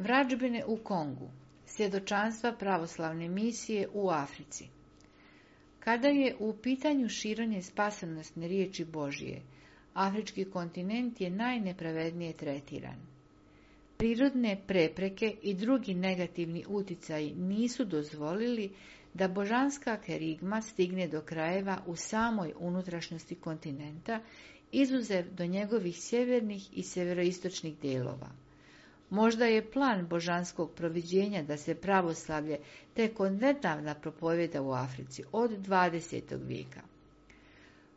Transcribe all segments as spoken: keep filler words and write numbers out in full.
Vrađbine u Kongu, svjedočanstva pravoslavne misije u Africi. Kada je u pitanju širenje spasonosne riječi Božije, afrički kontinent je najnepravednije tretiran. Prirodne prepreke i drugi negativni utjecaji nisu dozvolili da božanska kerigma stigne do krajeva u samoj unutrašnjosti kontinenta, izuzev do njegovih sjevernih i sjeveroistočnih dijelova. Možda je plan božanskog proviđenja da se pravoslavlje tek odnedavna propovjeda u Africi od dvadesetog vijeka.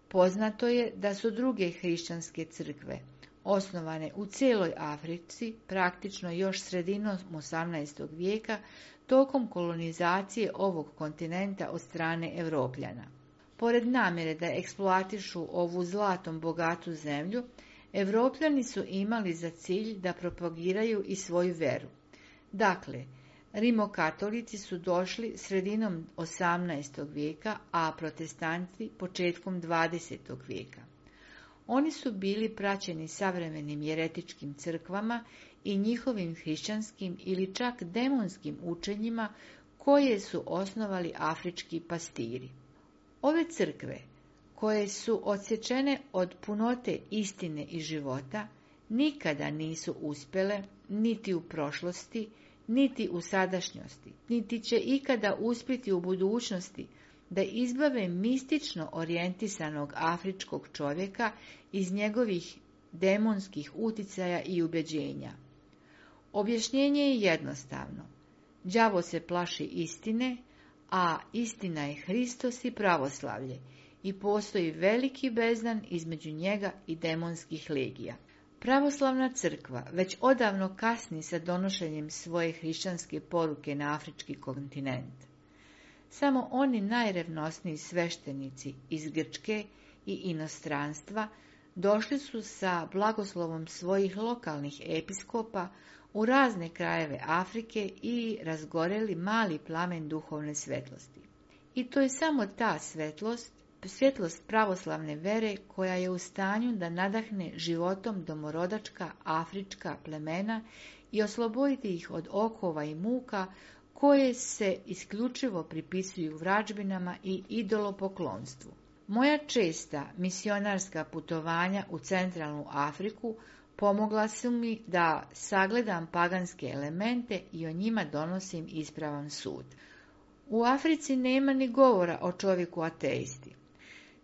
Poznato je da su druge hrišćanske crkve, osnovane u cijeloj Africi, praktično još sredinom osamnaestog vijeka, tokom kolonizacije ovog kontinenta od strane Europljana. Pored namjere da eksploatišu ovu zlatom bogatu zemlju, Europljani su imali za cilj da propagiraju i svoju veru. Dakle, rimokatolici su došli sredinom osamnaestog vijeka, a protestanti početkom dvadesetog vijeka. Oni su bili praćeni savremenim jeretičkim crkvama i njihovim hrišćanskim ili čak demonskim učenjima koje su osnovali afrički pastiri. Ove crkve, koje su odsječene od punote istine i života, nikada nisu uspjele, niti u prošlosti, niti u sadašnjosti, niti će ikada uspjeti u budućnosti, da izbave mistično orijentisanog afričkog čovjeka iz njegovih demonskih uticaja i ubeđenja. Objašnjenje je jednostavno. Đavo se plaši istine, a istina je Hristos i pravoslavlje, i postoji veliki bezdan između njega i demonskih legija. Pravoslavna crkva već odavno kasni sa donošenjem svoje hrišćanske poruke na afrički kontinent. Samo oni najrevnosniji sveštenici iz Grčke i inostranstva došli su sa blagoslovom svojih lokalnih episkopa u razne krajeve Afrike i razgoreli mali plamen duhovne svetlosti. I to je samo ta svetlost, svjetlost pravoslavne vere koja je u stanju da nadahne životom domorodačka afrička plemena i osloboditi ih od okova i muka koje se isključivo pripisuju vrađbinama i idolopoklonstvu. Moja česta misionarska putovanja u centralnu Afriku pomogla su mi da sagledam paganske elemente i o njima donosim ispravan sud. U Africi nema ni govora o čovjeku ateisti.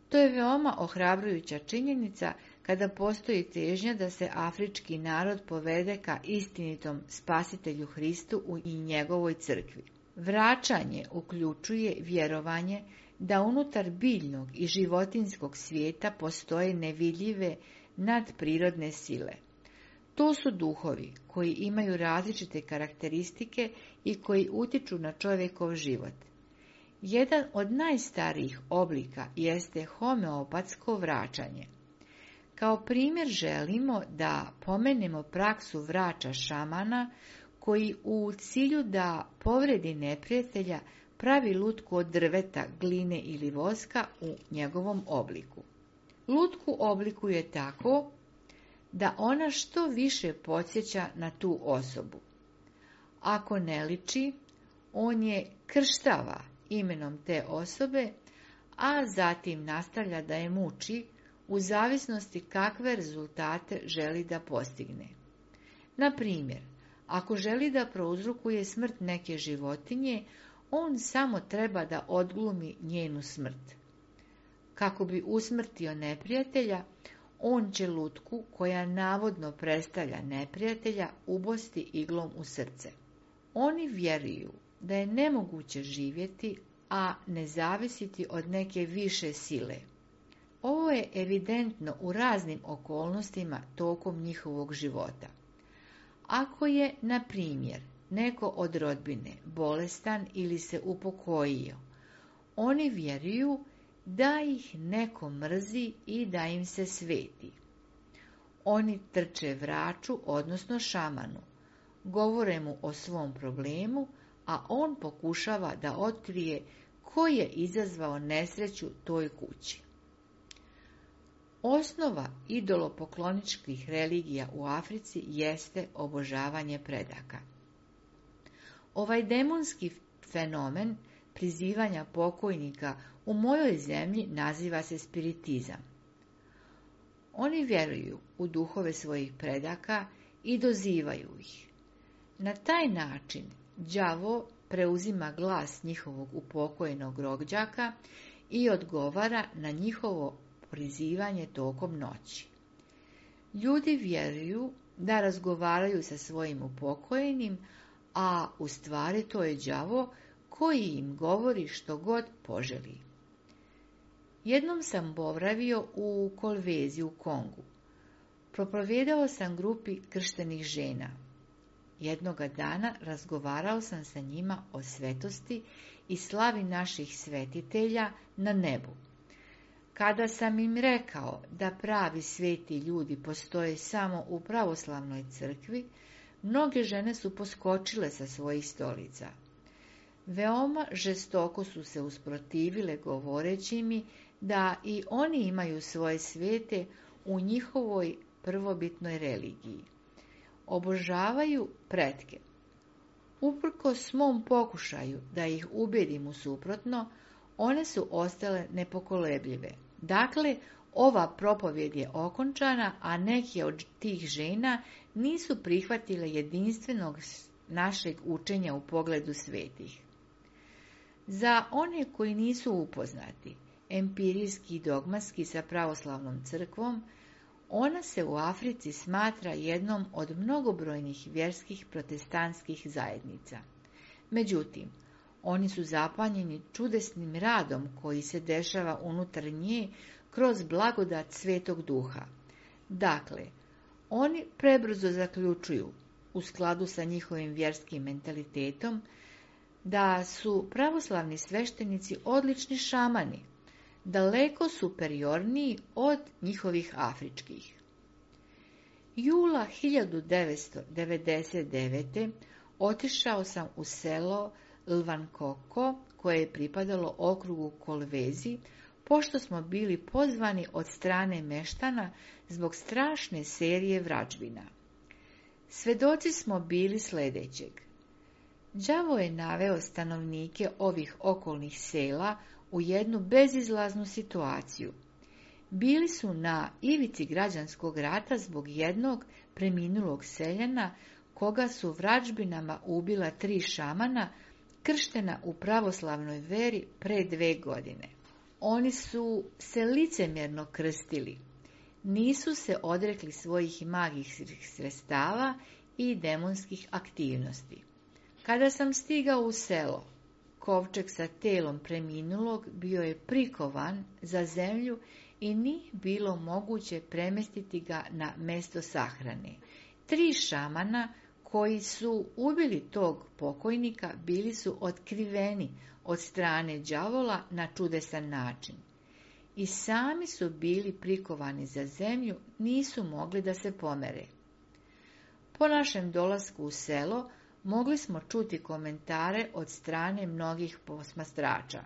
To je veoma ohrabrujuća činjenica kada postoji težnja da se afrički narod povede ka istinitom spasitelju Hristu i njegovoj crkvi. Vraćanje uključuje vjerovanje da unutar biljnog i životinjskog svijeta postoje nevidljive nadprirodne sile. To su duhovi koji imaju različite karakteristike i koji utiču na čovjekov život. Jedan od najstarijih oblika jeste homeopatsko vraćanje. Kao primjer želimo da pomenemo praksu vrača šamana koji u cilju da povredi neprijatelja pravi lutku od drveta, gline ili voska u njegovom obliku. Lutku oblikuje tako da ona što više podsjeća na tu osobu. Ako ne liči, on je krštava imenom te osobe, a zatim nastavlja da je muči u zavisnosti kakve rezultate želi da postigne. Na primjer, ako želi da prouzrokuje smrt neke životinje, on samo treba da odglumi njenu smrt. Kako bi usmrtio neprijatelja, on će lutku, koja navodno predstavlja neprijatelja, ubosti iglom u srce. Oni vjeruju da je nemoguće živjeti, a ne zavisiti od neke više sile. Ovo je evidentno u raznim okolnostima tokom njihovog života. Ako je, na primjer, neko od rodbine bolestan ili se upokojio, oni vjeruju da ih neko mrzi i da im se sveti. Oni trče vraču, odnosno šamanu, govore mu o svom problemu, a on pokušava da otkrije ko je izazvao nesreću toj kući. Osnova idolopokloničkih religija u Africi jeste obožavanje predaka. Ovaj demonski fenomen prizivanja pokojnika u mojoj zemlji naziva se spiritizam. Oni vjeruju u duhove svojih predaka i dozivaju ih. Na taj način đavo preuzima glas njihovog upokojenog rođaka i odgovara na njihovo prizivanje tokom noći. Ljudi vjeruju da razgovaraju sa svojim upokojenim, a u stvari to je đavo koji im govori što god poželi. Jednom sam boravio u Kolvezi u Kongu. Propovijedao sam grupi krštenih žena. Jednoga dana razgovarao sam sa njima o svetosti i slavi naših svetitelja na nebu. Kada sam im rekao da pravi sveti ljudi postoje samo u pravoslavnoj crkvi, mnoge žene su poskočile sa svojih stolica. Veoma žestoko su se usprotivile govoreći mi da i oni imaju svoje svete u njihovoj prvobitnoj religiji. Obožavaju pretke. Uprkos mom pokušaju da ih ubedim u suprotno, one su ostale nepokolebljive. Dakle, ova propovjed je okončana, a neke od tih žena nisu prihvatile jedinstvenog našeg učenja u pogledu svetih. Za one koji nisu upoznati empirijski i dogmatski sa pravoslavnom crkvom, ona se u Africi smatra jednom od mnogobrojnih vjerskih protestantskih zajednica. Međutim, oni su zapanjeni čudesnim radom koji se dešava unutar nje kroz blagodat Svetog Duha. Dakle, oni prebrzo zaključuju, u skladu sa njihovim vjerskim mentalitetom, da su pravoslavni sveštenici odlični šamani, daleko superiorniji od njihovih afričkih. Jula hiljadu devetsto devedeset devete. otišao sam u selo Lvankoko, koje je pripadalo okrugu Kolvezi, pošto smo bili pozvani od strane meštana zbog strašne serije vražbina. Svedoci smo bili sljedećeg. Đavo je naveo stanovnike ovih okolnih sela u jednu bezizlaznu situaciju. Bili su na ivici građanskog rata zbog jednog preminulog seljana koga su vražbinama ubila tri šamana krštena u pravoslavnoj veri pre dve godine. Oni su se licemjerno krstili. Nisu se odrekli svojih magijskih sredstava i demonskih aktivnosti. Kada sam stigao u selo, kovčeg sa telom preminulog bio je prikovan za zemlju i nije bilo moguće premestiti ga na mesto sahrane. Tri šamana koji su ubili tog pokojnika bili su otkriveni od strane đavola na čudesan način. I sami su bili prikovani za zemlju, nisu mogli da se pomere. Po našem dolasku u selo mogli smo čuti komentare od strane mnogih posmatrača.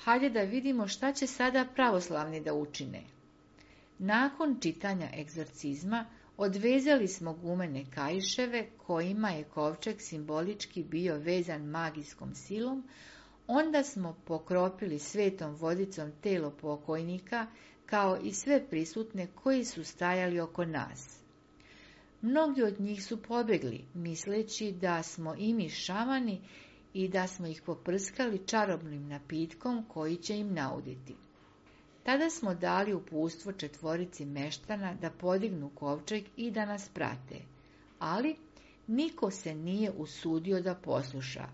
Hajde da vidimo šta će sada pravoslavni da učine. Nakon čitanja egzorcizma odvezali smo gumene kaiševe kojima je kovčeg simbolički bio vezan magijskom silom, onda smo pokropili svetom vodicom telo pokojnika kao i sve prisutne koji su stajali oko nas. Mnogi od njih su pobjegli, misleći da smo i mi šamani i da smo ih poprskali čarobnim napitkom koji će im nauditi. Tada smo dali uputstvo četvorici meštana da podignu kovčeg i da nas prate, ali niko se nije usudio da posluša.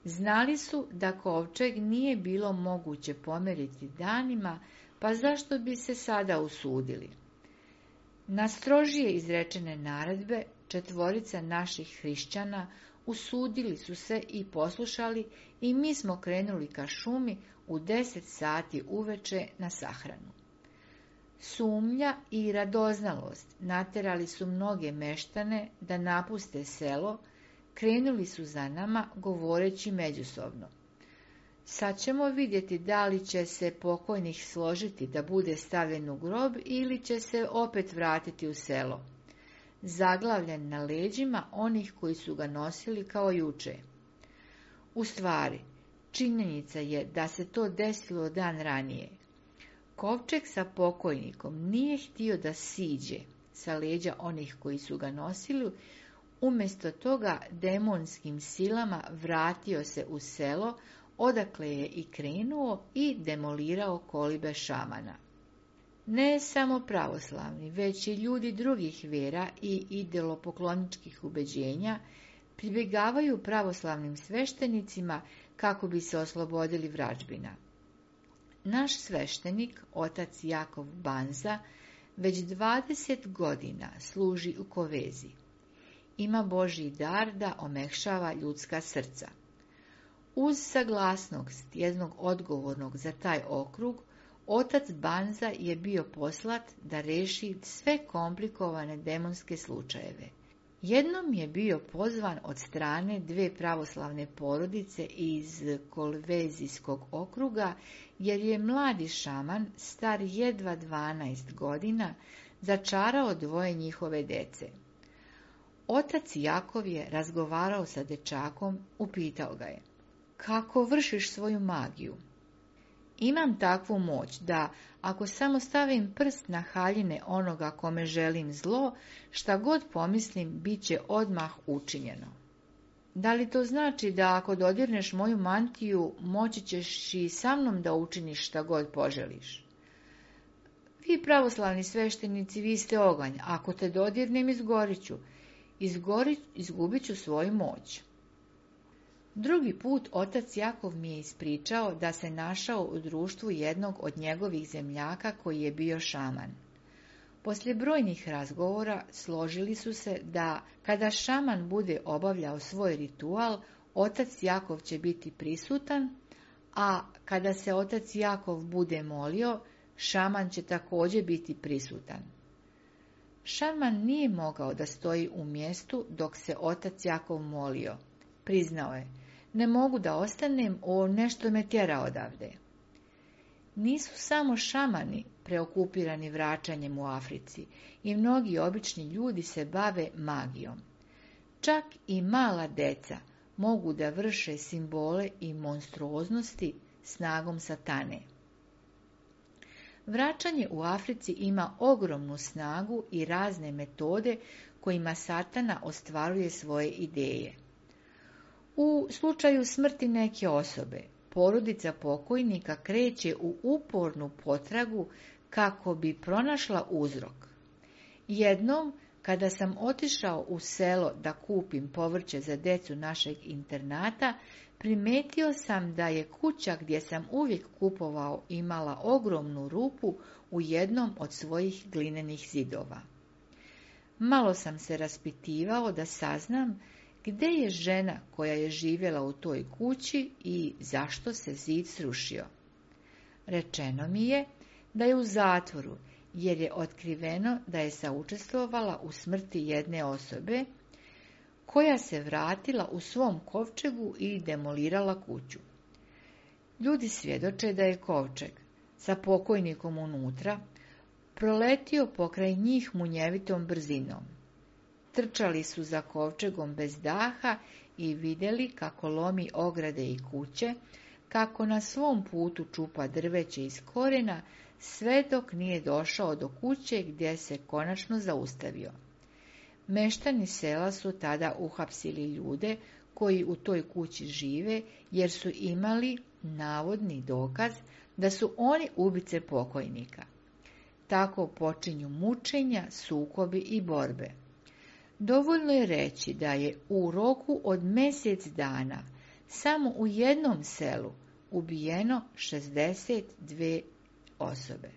Znali su da kovčeg nije bilo moguće pomeriti danima, pa zašto bi se sada usudili? Na strožije izrečene naredbe četvorica naših hrišćana usudili su se i poslušali i mi smo krenuli ka šumi u deset sati uveče na sahranu. Sumnja i radoznalost naterali su mnoge meštane da napuste selo, krenuli su za nama govoreći međusobno. Sad ćemo vidjeti da li će se pokojnik složiti da bude stavljen u grob ili će se opet vratiti u selo. zaglavljen na leđima onih koji su ga nosili kao juče. U stvari, činjenica je da se to desilo dan ranije. Kovčeg sa pokojnikom nije htio da siđe sa leđa onih koji su ga nosili, umjesto toga demonskim silama vratio se u selo, odakle je i krenuo i demolirao kolibe šamana. Ne samo pravoslavni, već i ljudi drugih vjera i idolopokloničkih ubeđenja pribjegavaju pravoslavnim sveštenicima kako bi se oslobodili vražbina. Naš sveštenik, otac Jakov Banza, već dvadeset godina služi u Kovezi. Ima Božji dar da omekšava ljudska srca. Uz saglasnost jednog odgovornog za taj okrug, otac Banza je bio poslat da reši sve komplikovane demonske slučajeve. Jednom je bio pozvan od strane dve pravoslavne porodice iz Kolvezijskog okruga, jer je mladi šaman, star jedva dvanaest godina, začarao dvoje njihove dece. Otac Jakov je razgovarao sa dečakom, upitao ga je: kako vršiš svoju magiju? Imam takvu moć da, ako samo stavim prst na haljine onoga kome želim zlo, šta god pomislim, bit će odmah učinjeno. Da li to znači da ako dodirneš moju mantiju, moći ćeš i sa mnom da učiniš šta god poželiš? Vi pravoslavni sveštenici, vi ste oganj, ako te dodirnem, izgorit ću, Izgori, izgubit ću svoju moć. Drugi put otac Jakov mi je ispričao da se našao u društvu jednog od njegovih zemljaka koji je bio šaman. Poslije brojnih razgovora složili su se da kada šaman bude obavljao svoj ritual, otac Jakov će biti prisutan, a kada se otac Jakov bude molio, šaman će također biti prisutan. Šaman nije mogao da stoji u mjestu dok se otac Jakov molio. Priznao je: ne mogu da ostanem, o nešto me tjera odavde. Nisu samo šamani preokupirani vraćanjem u Africi, i mnogi obični ljudi se bave magijom. Čak i mala deca mogu da vrše simbole i monstruoznosti snagom satane. Vraćanje u Africi ima ogromnu snagu i razne metode kojima satana ostvaruje svoje ideje. U slučaju smrti neke osobe, porodica pokojnika kreće u upornu potragu kako bi pronašla uzrok. Jednom, kada sam otišao u selo da kupim povrće za decu našeg internata, primetio sam da je kuća gdje sam uvijek kupovao imala ogromnu rupu u jednom od svojih glinenih zidova. Malo sam se raspitivao da saznam gdje je žena koja je živjela u toj kući i zašto se zid srušio. Rečeno mi je da je u zatvoru, jer je otkriveno da je saučestvovala u smrti jedne osobe, koja se vratila u svom kovčegu i demolirala kuću. Ljudi svjedoče da je kovčeg sa pokojnikom unutra proletio pokraj njih munjevitom brzinom. Trčali su za kovčegom bez daha i vidjeli kako lomi ograde i kuće, kako na svom putu čupa drveće iz korijena, sve dok nije došao do kuće gdje se konačno zaustavio. Meštani sela su tada uhapsili ljude koji u toj kući žive, jer su imali navodni dokaz da su oni ubice pokojnika. Tako počinju mučenja, sukobi i borbe. Dovoljno je reći da je u roku od mjesec dana samo u jednom selu ubijeno šezdeset dvije osobe.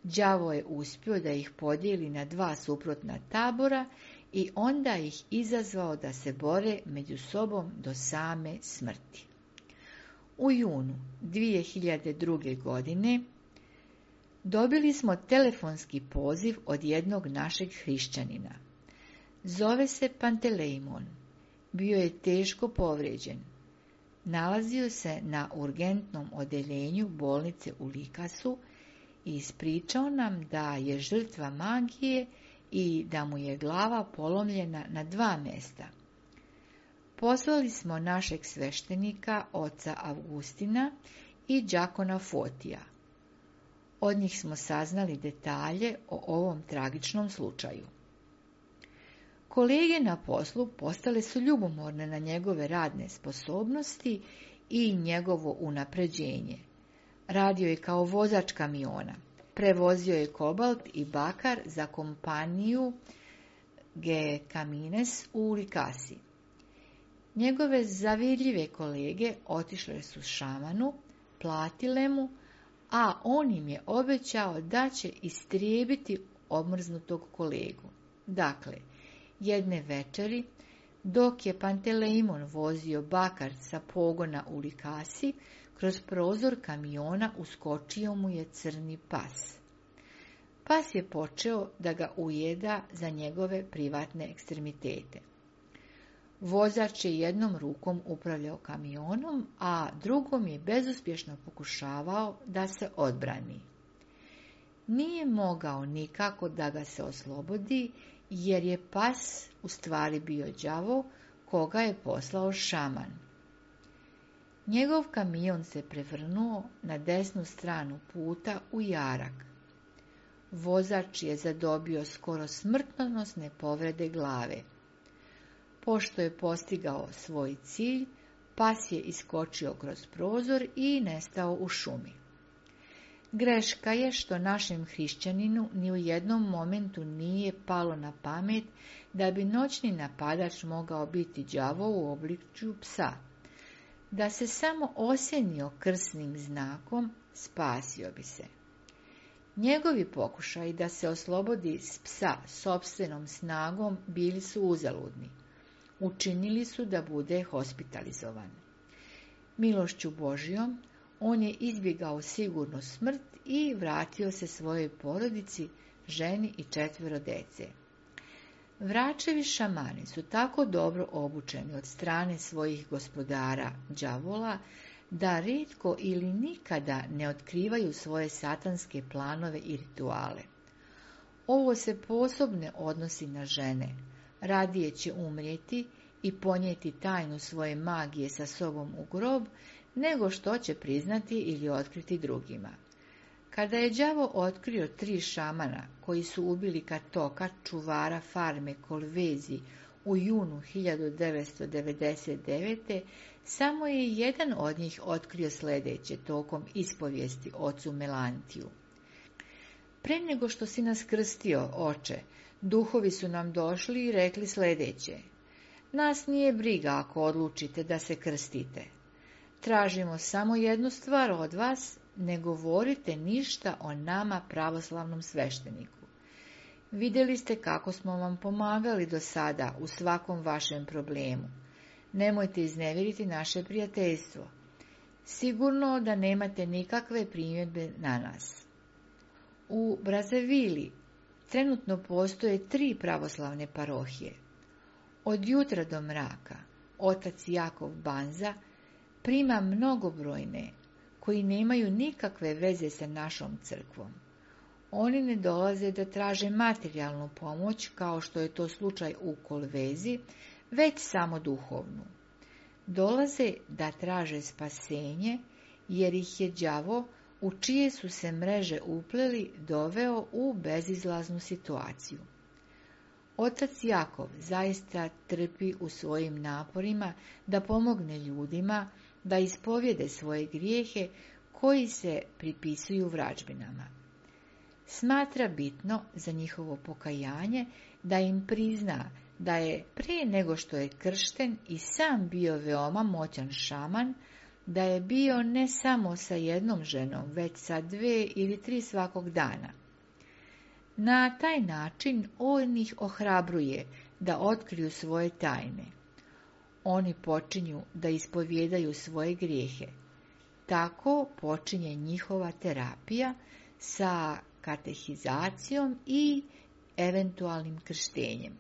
Đavo je uspio da ih podijeli na dva suprotna tabora i onda ih izazvao da se bore među sobom do same smrti. U junu dvije hiljade druge. godine dobili smo telefonski poziv od jednog našeg hrišćanina. Zove se Pantelejmon. Bio je teško povrijeđen. Nalazio se na urgentnom odeljenju bolnice u Likasu i ispričao nam da je žrtva magije i da mu je glava polomljena na dva mjesta. Poslali smo našeg sveštenika, oca Avgustina i đakona Fotija. Od njih smo saznali detalje o ovom tragičnom slučaju. Kolege na poslu postale su ljubomorne na njegove radne sposobnosti i njegovo unapređenje. Radio je kao vozač kamiona. Prevozio je kobalt i bakar za kompaniju Ge Camines u Likasi. Njegove zavidljive kolege otišle su šamanu, platile mu, a on im je obećao da će istrijebiti omrznutog kolegu. Dakle, jedne večeri, dok je Panteleimon vozio bakar sa pogona u Likasi, kroz prozor kamiona uskočio mu je crni pas. Pas je počeo da ga ujeda za njegove privatne ekstremitete. Vozač je jednom rukom upravljao kamionom, a drugom je bezuspješno pokušavao da se odbrani. Nije mogao nikako da ga se oslobodi, jer je pas u stvari bio đavo koga je poslao šaman. Njegov kamion se prevrnuo na desnu stranu puta u jarak. Vozač je zadobio skoro smrtonosne povrede glave. Pošto je postigao svoj cilj, pas je iskočio kroz prozor i nestao u šumi. Greška je što našem hrišćaninu ni u jednom momentu nije palo na pamet da bi noćni napadač mogao biti đavo u obličju psa. Da se samo osjenio krsnim znakom, spasio bi se. Njegovi pokušaji da se oslobodi s psa sopstvenom snagom bili su uzaludni. Učinili su da bude hospitalizovan. Milošću Božjom, on je izbjegao sigurnu smrt i vratio se svojoj porodici, ženi i četvero dece. Vračevi šamani su tako dobro obučeni od strane svojih gospodara, đavola, da rijetko ili nikada ne otkrivaju svoje satanske planove i rituale. Ovo se posebno odnosi na žene. Radije će umrijeti i ponijeti tajnu svoje magije sa sobom u grob, nego što će priznati ili otkriti drugima. Kada je đavo otkrio tri šamana koji su ubili Katoka, čuvara farme Kolvezi, u junu hiljadu devetsto devedeset devete. samo je jedan od njih otkrio sljedeće tokom ispovijesti ocu Melantiju. Pre nego što si nas krstio, oče, duhovi su nam došli i rekli sljedeće: nas nije briga ako odlučite da se krstite. Tražimo samo jednu stvar od vas, ne govorite ništa o nama pravoslavnom svešteniku. Vidjeli ste kako smo vam pomagali do sada u svakom vašem problemu. Nemojte iznevjeriti naše prijateljstvo. Sigurno da nemate nikakve primjedbe na nas. U Brazavili trenutno postoje tri pravoslavne parohije. Od jutra do mraka otac Jakov Banza prima mnogobrojne koji nemaju nikakve veze sa našom crkvom. Oni ne dolaze da traže materijalnu pomoć, kao što je to slučaj u Kolvezi, već samo duhovnu. Dolaze da traže spasenje, jer ih je đavo, u čije su se mreže upleli, doveo u bezizlaznu situaciju. Otac Jakov zaista trpi u svojim naporima da pomogne ljudima da ispovjede svoje grijehe koji se pripisuju vražbinama. Smatra bitno za njihovo pokajanje da im prizna da je prije nego što je kršten i sam bio veoma moćan šaman, da je bio ne samo sa jednom ženom, već sa dve ili tri svakog dana. Na taj način on ih ohrabruje da otkriju svoje tajne. Oni počinju da ispovjedaju svoje grijehe. Tako počinje njihova terapija sa katehizacijom i eventualnim krštenjem.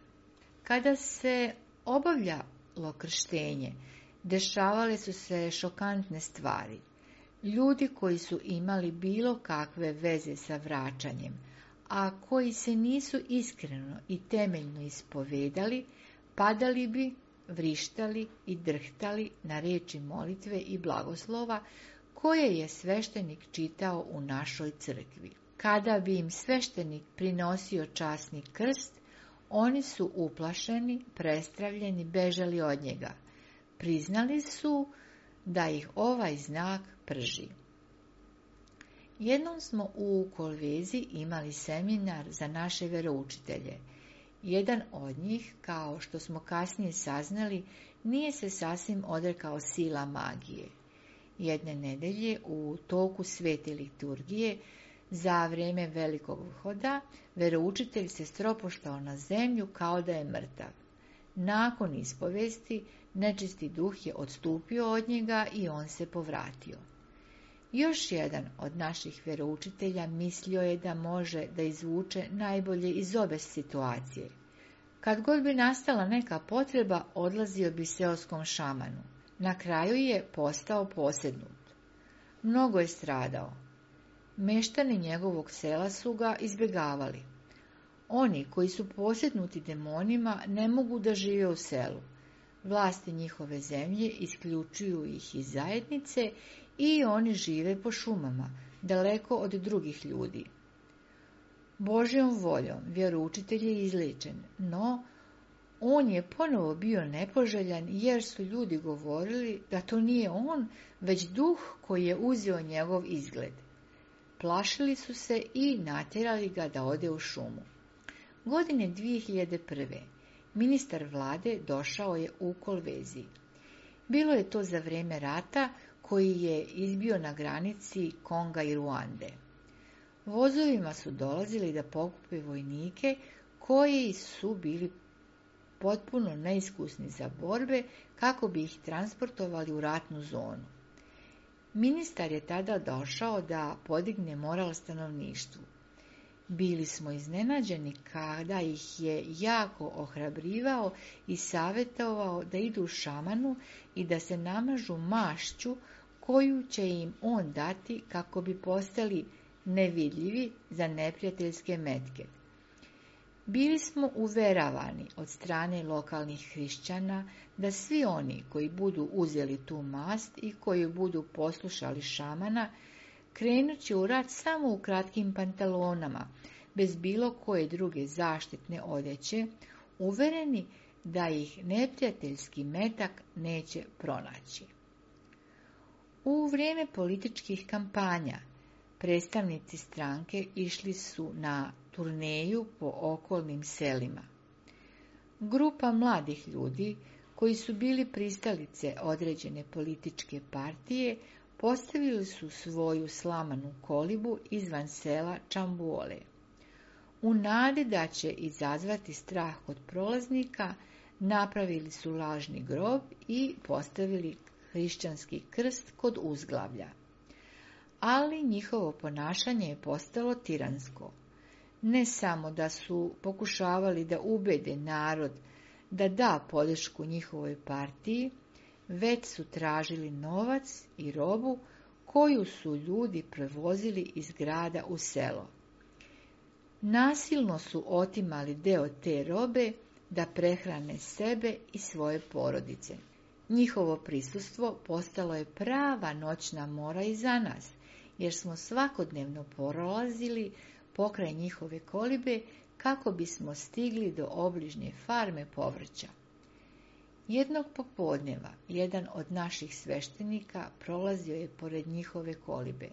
Kada se obavljalo krštenje, dešavale su se šokantne stvari. Ljudi koji su imali bilo kakve veze sa vraćanjem, a koji se nisu iskreno i temeljno ispovedali, padali bi, vrištali i drhtali na riječi molitve i blagoslova koje je sveštenik čitao u našoj crkvi. Kada bi im sveštenik prinosio časni krst, oni su uplašeni, prestravljeni, bežali od njega. Priznali su da ih ovaj znak prži. Jednom smo u Kolvezi imali seminar za naše veroučitelje. Jedan od njih, kao što smo kasnije saznali, nije se sasvim odrekao sila magije. Jedne nedelje u toku svete liturgije za vrijeme velikog vhoda, veroučitelj se stropoštao na zemlju kao da je mrtav. Nakon ispovesti, nečisti duh je odstupio od njega i on se povratio. Još jedan od naših veroučitelja mislio je da može da izvuče najbolje iz obe situacije. Kad god bi nastala neka potreba, odlazio bi seoskom šamanu. Na kraju je postao posjednut. Mnogo je stradao. Meštani njegovog sela su ga izbjegavali. Oni koji su posjednuti demonima ne mogu da žive u selu. Vlasti njihove zemlje isključuju ih iz zajednice i oni žive po šumama, daleko od drugih ljudi. Božjom voljom vjeroučitelj je izliječen, no on je ponovo bio nepoželjan jer su ljudi govorili da to nije on, već duh koji je uzeo njegov izgled. Plašili su se i natjerali ga da ode u šumu. Godine dvije hiljade prve. ministar vlade došao je u Kolvezi. Bilo je to za vrijeme rata koji je izbio na granici Konga i Ruande. Vozovima su dolazili da pokupe vojnike koji su bili potpuno neiskusni za borbe kako bi ih transportovali u ratnu zonu. Ministar je tada došao da podigne moral stanovništvu. Bili smo iznenađeni kada ih je jako ohrabrivao i savjetovao da idu šamanu i da se namažu mašću koju će im on dati kako bi postali nevidljivi za neprijateljske metke. Bili smo uveravani od strane lokalnih hrišćana da svi oni koji budu uzeli tu mast i koji budu poslušali šamana, krenut će u rat samo u kratkim pantalonama, bez bilo koje druge zaštitne odjeće, uvereni da ih neprijateljski metak neće pronaći. U vrijeme političkih kampanja predstavnici stranke išli su na turneju po okolnim selima. Grupa mladih ljudi koji su bili pristalice određene političke partije postavili su svoju slamanu kolibu izvan sela Čambuole. U nadi da će izazvati strah kod prolaznika, napravili su lažni grob i postavili hrišćanski krst kod uzglavlja. Ali njihovo ponašanje je postalo tiransko. Ne samo da su pokušavali da ubede narod da da podršku njihovoj partiji, već su tražili novac i robu koju su ljudi prevozili iz grada u selo. Nasilno su otimali deo te robe da prehrane sebe i svoje porodice. Njihovo prisustvo postalo je prava noćna mora i za nas, jer smo svakodnevno prolazili pokraj njihove kolibe kako bismo stigli do obližnje farme povrća. Jednog popodneva jedan od naših sveštenika prolazio je pored njihove kolibe.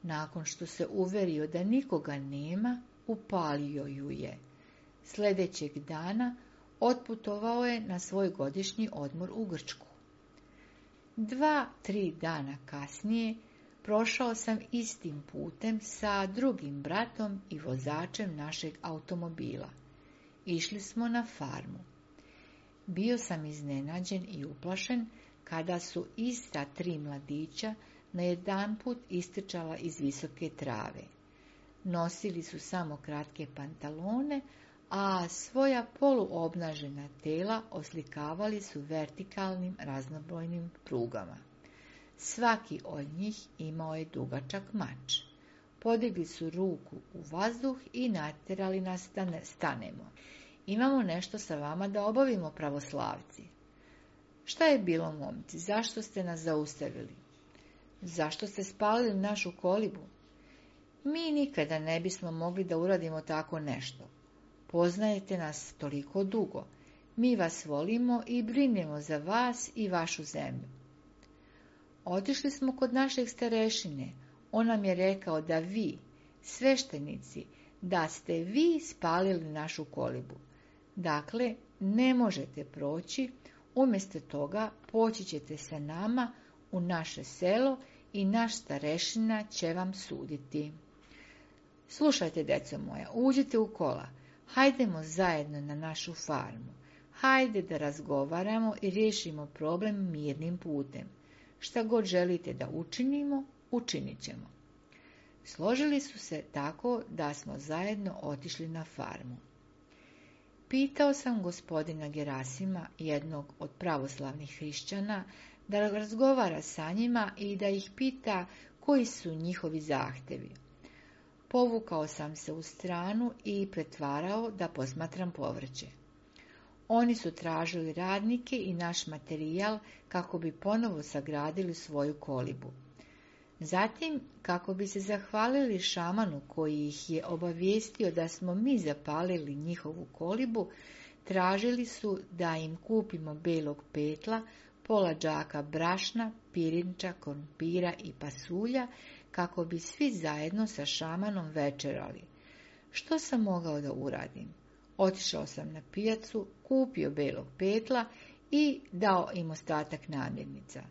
Nakon što se uverio da nikoga nema, upalio ju je. Sljedećeg dana otputovao je na svoj godišnji odmor u Grčku. Dva, tri dana kasnije prošao sam istim putem sa drugim bratom i vozačem našeg automobila. Išli smo na farmu. Bio sam iznenađen i uplašen kada su ista tri mladića najedanput istrčala iz visoke trave. Nosili su samo kratke pantalone, a svoja poluobnažena tela oslikavali su vertikalnim raznobojnim prugama. Svaki od njih imao je dugačak mač. podigli su ruku u vazduh i natjerali nas da ne stanemo. Imamo nešto sa vama da obavimo, pravoslavci. Šta je bilo, momci? Zašto ste nas zaustavili? Zašto ste spalili našu kolibu? Mi nikada ne bismo mogli da uradimo tako nešto. Poznajete nas toliko dugo. Mi vas volimo i brinemo za vas i vašu zemlju. Otišli smo kod našeg starešine. On nam je rekao da vi, sveštenici, da ste vi spalili našu kolibu. Dakle, ne možete proći, umjesto toga poći ćete sa nama u naše selo i naš starešina će vam suditi. Slušajte, deco moja, uđite u kola, hajdemo zajedno na našu farmu. Hajde da razgovaramo i riješimo problem mirnim putem. Šta god želite da učinimo, učinit ćemo. Složili su se tako da smo zajedno otišli na farmu. Pitao sam gospodina Gerasima, jednog od pravoslavnih hrišćana, da razgovara sa njima i da ih pita koji su njihovi zahtevi. Povukao sam se u stranu i pretvarao da posmatram povrće. Oni su tražili radnike i naš materijal kako bi ponovo sagradili svoju kolibu. Zatim, kako bi se zahvalili šamanu koji ih je obavijestio da smo mi zapalili njihovu kolibu, tražili su da im kupimo belog petla, pola džaka brašna, pirinča, krompira i pasulja, kako bi svi zajedno sa šamanom večerali. Što sam mogao da uradim? Otišao sam na pijacu, kupio belog petla i dao im ostatak namirnica.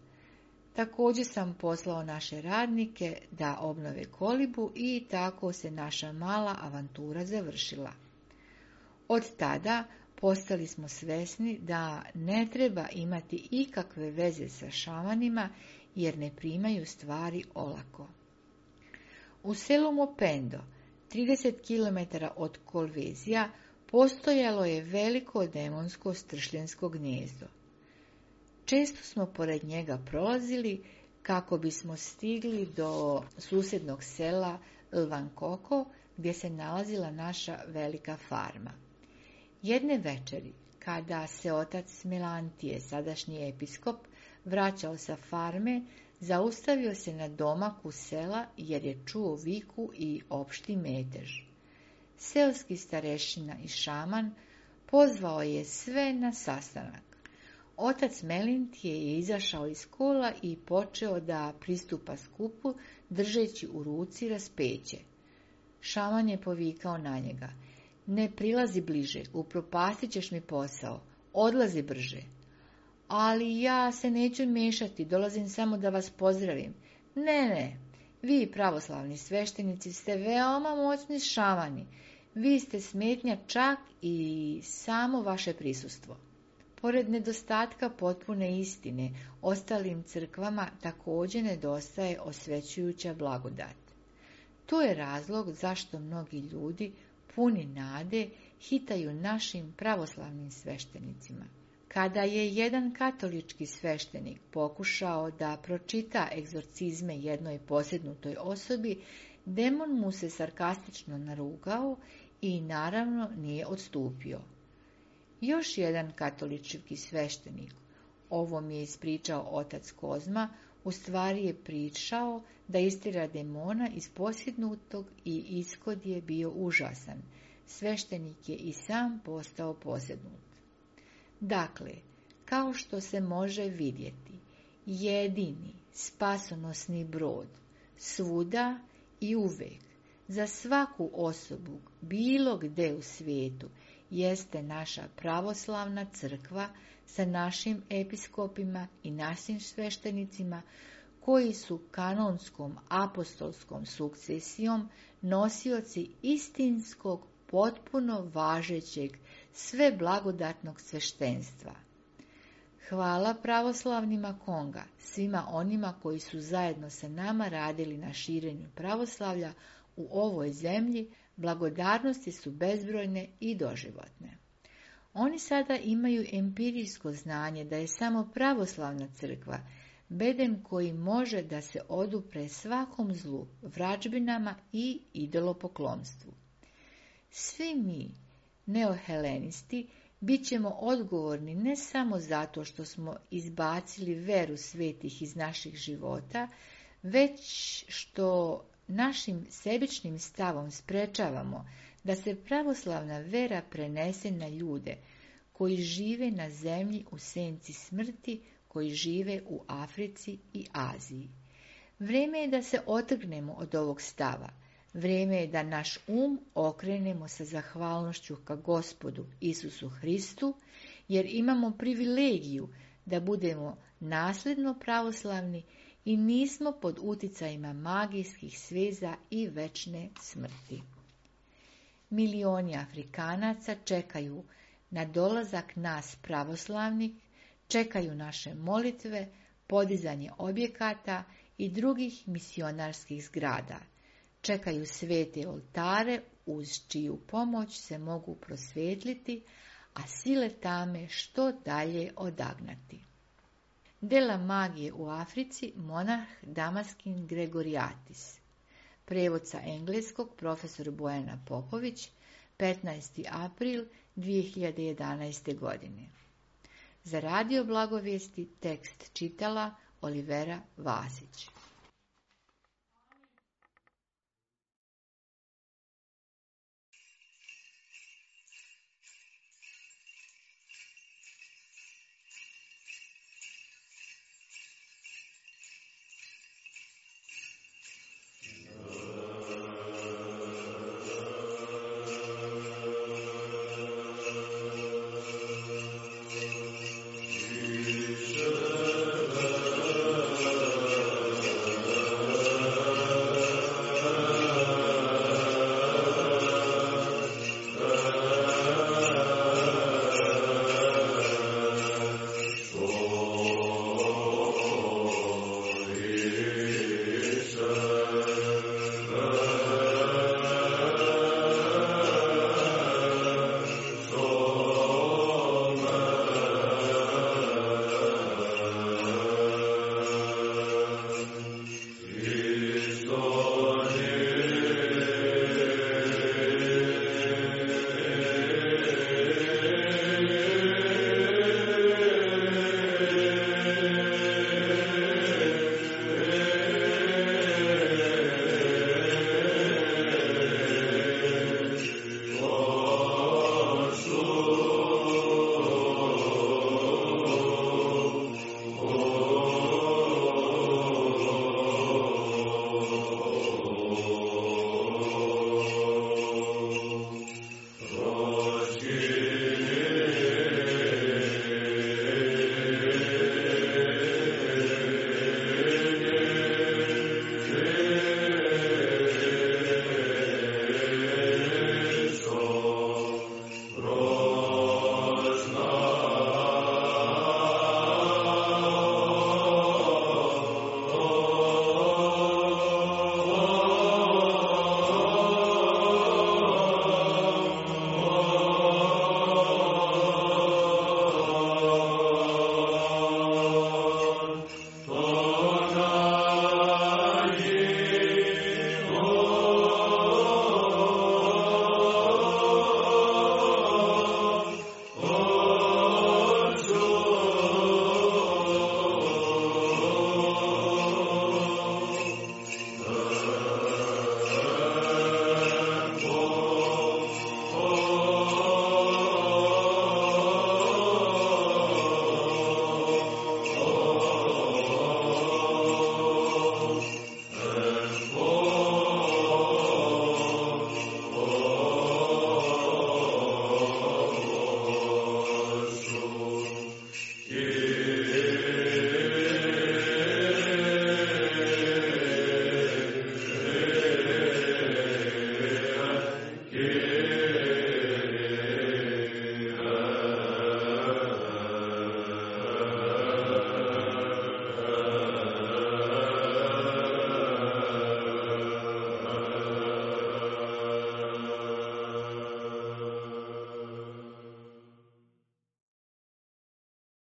Također sam poslao naše radnike da obnove kolibu i tako se naša mala avantura završila. Od tada postali smo svesni da ne treba imati ikakve veze sa šamanima jer ne primaju stvari olako. U selu Mopendo, trideset kilometara od Kolvezija, postojalo je veliko demonsko stršljensko gnijezdo. Često smo pored njega prolazili kako bismo stigli do susjednog sela Lvankoko, gdje se nalazila naša velika farma. Jedne večeri, kada se otac Melantije, sadašnji episkop, vraćao sa farme, zaustavio se na domaku sela jer je čuo viku i opšti metež. Seoski starešina i šaman pozvao je sve na sastanak. Otac Melantije je izašao iz kola i počeo da pristupa skupu držeći u ruci raspeće. Šaman je povikao na njega: "Ne prilazi bliže, upropastit ćeš mi posao, odlazi brže." "Ali ja se neću miješati, dolazim samo da vas pozdravim." "Ne, ne, vi pravoslavni sveštenici ste veoma moćni šamani, vi ste smetnja čak i samo vaše prisustvo." Pored nedostatka potpune istine, ostalim crkvama također nedostaje osvećujuća blagodat. To je razlog zašto mnogi ljudi, puni nade, hitaju našim pravoslavnim sveštenicima. Kada je jedan katolički sveštenik pokušao da pročita egzorcizme jednoj posjednutoj osobi, demon mu se sarkastično narugao i naravno nije odstupio. Još jedan katolički sveštenik, ovo mi je ispričao otac Kozma, u stvari je pričao da istjera demona iz posjednutog i ishod je bio užasan. Sveštenik je i sam postao posjednut. Dakle, kao što se može vidjeti, jedini spasonosni brod svuda i uvek za svaku osobu bilo gde u svijetu jeste naša pravoslavna crkva sa našim episkopima i našim sveštenicima koji su kanonskom apostolskom sukcesijom nosioci istinskog, potpuno važećeg, sve blagodatnog sveštenstva. Hvala pravoslavnima Konga, svima onima koji su zajedno sa nama radili na širenju pravoslavlja u ovoj zemlji, blagodarnosti su bezbrojne i doživotne. Oni sada imaju empirijsko znanje da je samo pravoslavna crkva, bedem koji može da se odupre svakom zlu, vražbinama i idolopoklonstvu. Svi mi, neohelenisti, bit ćemo odgovorni ne samo zato što smo izbacili veru svetih iz naših života, već što našim sebičnim stavom sprečavamo da se pravoslavna vera prenese na ljude koji žive na zemlji u senci smrti, koji žive u Africi i Aziji. Vrijeme je da se otrgnemo od ovog stava. Vrijeme je da naš um okrenemo sa zahvalnošću ka Gospodu Isusu Hristu, jer imamo privilegiju da budemo nasljedno pravoslavni i nismo pod uticajima magijskih sveza i večne smrti. Milioni Afrikanaca čekaju na dolazak nas pravoslavnih, čekaju naše molitve, podizanje objekata i drugih misionarskih zgrada. Čekaju svete oltare uz čiju pomoć se mogu prosvjetliti, a sile tame što dalje odagnati. Dela magije u Africi, monah Damaskin Gregoriatis. Prevod sa engleskog profesor Bojana Popović, petnaesti april dvije hiljade jedanaeste. godine. Za radio Blagovijesti tekst čitala Olivera Vasić.